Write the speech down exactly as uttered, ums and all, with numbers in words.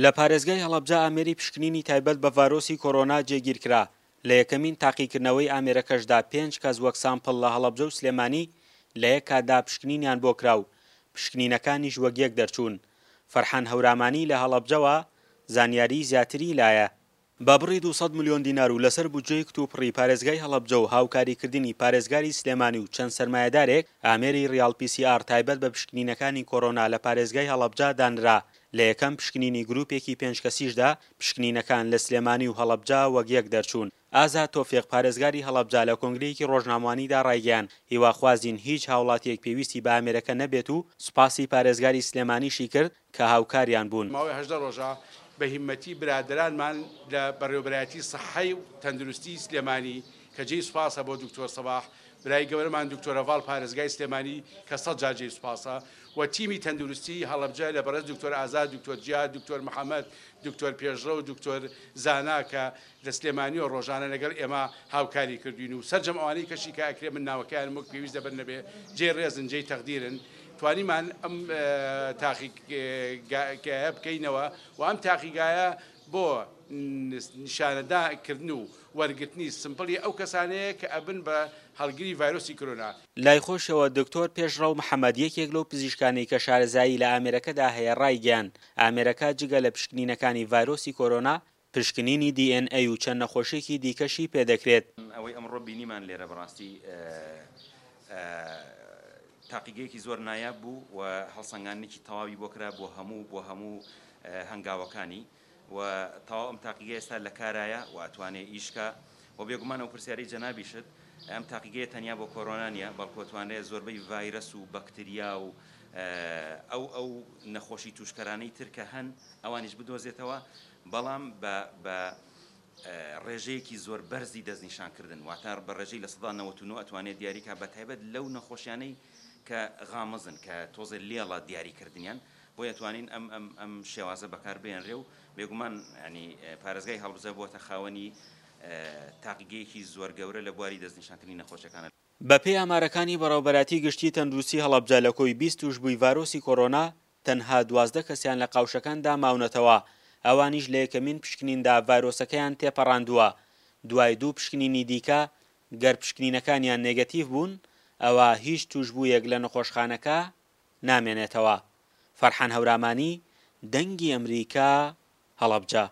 لە پارێزگای هەڵەبجە ئامێری پشکنینی تایبەت بە ڤایرۆسی کۆرۆنا جێگیرکرا. لە یەکەمین تاقیکردنەوەی ئامێرەکەشدا پێنج کەس وەک سامپڵ لە هەڵەبجە و سلێمانی لە یەک کاتدا پشکنینیان بۆ کرا و پشکنینەکانیش وەک یەک دەرچوون. فەرحان هەورامانی لە هەڵەبجەوە زانیاری زیاتری لایە. بە بڕی دوو سەد ملیۆن دینار و لەسەر بودجەی کتوپڕی پارێزگای هەڵەبجە و هاوکاریکردنی پارێزگاری سلێمانی و چەند سەرمایەدارێک، ئامێری ڕیاڵ پی سی ئاڕ تایبەت بە پشکنینەکانی کۆرۆنا لە پارێزگای هەڵەبجە دانرا. لە یەکەم پشکنینی گروپێکی پێنج کەسیشدا پشکنینەکان لە سلێمانی و هەڵەبجە وەک یەک دەرچوون. ئازاد تۆفیق پارێزگاری هەڵەبجە لە کۆنگرەیەکی ڕۆژنامەوانیدا ڕایگەیاند، هیواخوازین هیچ هاوڵاتییەک پێویستی بە ئامێرەکە نەبێت و سوپاسی پارێزگاری سلێمانیشی کرد کە هاوکاریان بوون. ماوەی هەژدە ڕۆژە بە هیممەتی برادەرانمان لە بەڕێوەبەرایەتی سەحەی و تەندروستی سلێمانی کە جێی سوپاسە بۆ دکتۆر سەباح برای گەورەمان دکتۆر هەڤاڵ پارێزگای سلێمانی کە سەد جار جێی سوپاسە و تیمی تەندروستی هەڵەبجە لە بەڕێز دکتۆر ئازاد دکتۆر جیاد دکتۆر محەممەد دکتۆر پێشڕەو دکتۆر زانا کە لە سلێمانیەوە ڕۆژانە لەگەڵ ئێمە هاوکاری کردوین و سەرجەم ئەوانەی کەشی کە ئەکرێ من ناوەکەیان وەک پێویست دەبەر نەبێ جێی ڕێزن جێی تەقدیرن توانیمان ئەم تاقیگایە بکەینەوە و ئەم تاقیگایە بۆ نیشانەداکردن و وەرگرتنی سمپڵی ئەو کەسانەیە کە ئەبن بە هەڵگری ڤایرۆسی کۆرۆنا. لای خۆشەوە دکتۆر پێشڕەو محەمەد یەکێک لەو پزیشکانەی کە شارەزایی لە ئامێرەکەدا هەیە ڕایگەیاند، ئامێرەکە جگە لە پشکنینەکانی ڤایرۆسی کۆرۆنا پشکنینی دی ئێن ئەی و چەند نەخۆشیەکی دیکەشی پێدەکرێت. ئەوەی ئەمڕۆ بینیمان لێرە بەڕاستی تاقیگەیەکی زۆر نایاب بوو و هەڵسەنگاندنێکی تەواوی بۆ کرا بۆ هەموو بۆ هەموو هەنگاوەکانی و تەواو ئەم تاقیگە ئێستا لە کارایە و ئەتوانێ ئیشکا و بێگومان ئەو پرسیارەی جەنابیشت ئەم تاقیگەیە تەنیا بۆ کۆرۆنا نییە بەڵکو ئەتوانرێت زۆربەی ڤایرەس و بەکتریا و ئەو ئەو نەخۆشی توشکەرانەی تر کە هەن ئەوانیش بدۆزێتەوە بەڵام بە بە ڕێژەیەکی زۆر بەرزی دەستنیشانکردن واتە بە ڕێژەی لە سەدا نەوەت و نۆ ئەتوانێت دیاریکا بە تایبەت لەو نەخۆشیانەی کە غامزن کە تۆزێ لێڵە دیاریکردنیان بۆیە توانین ئەم ئەم ئەم شێوازە بەکار بێنرێ و بێگومان ینی پارێزگای هەڵەبجە بووەتە خاوەنی تاقیگەیەکی زۆر گەورە لە بواری دەستنیشانکردنی نەخۆشیەکانە. بەپێی ئامارەکانی بەڕێوەبەرایەتی گشتی تەندروستی هەڵەبجە لە کۆی بیست تووشبووی ڤایرۆسی کۆرۆنا تەنها دوازدە کەسیان لە قاوشەکاندا ماونەتەوە، ئەوانیش لە یەکەمین پشکنیندا ڤایرۆسەکەیان تێپەڕاندووە، دوای دوو پشکنینی دیکە گەر پشکنینەکانیان نێگەتیڤ بوون ئەوا هیچ تووشبوویەک لە نەخۆشخانەکە نامێنێتەوە. فەرحان هەورامانی، دەنگی ئەمریکا، هەڵەبجە.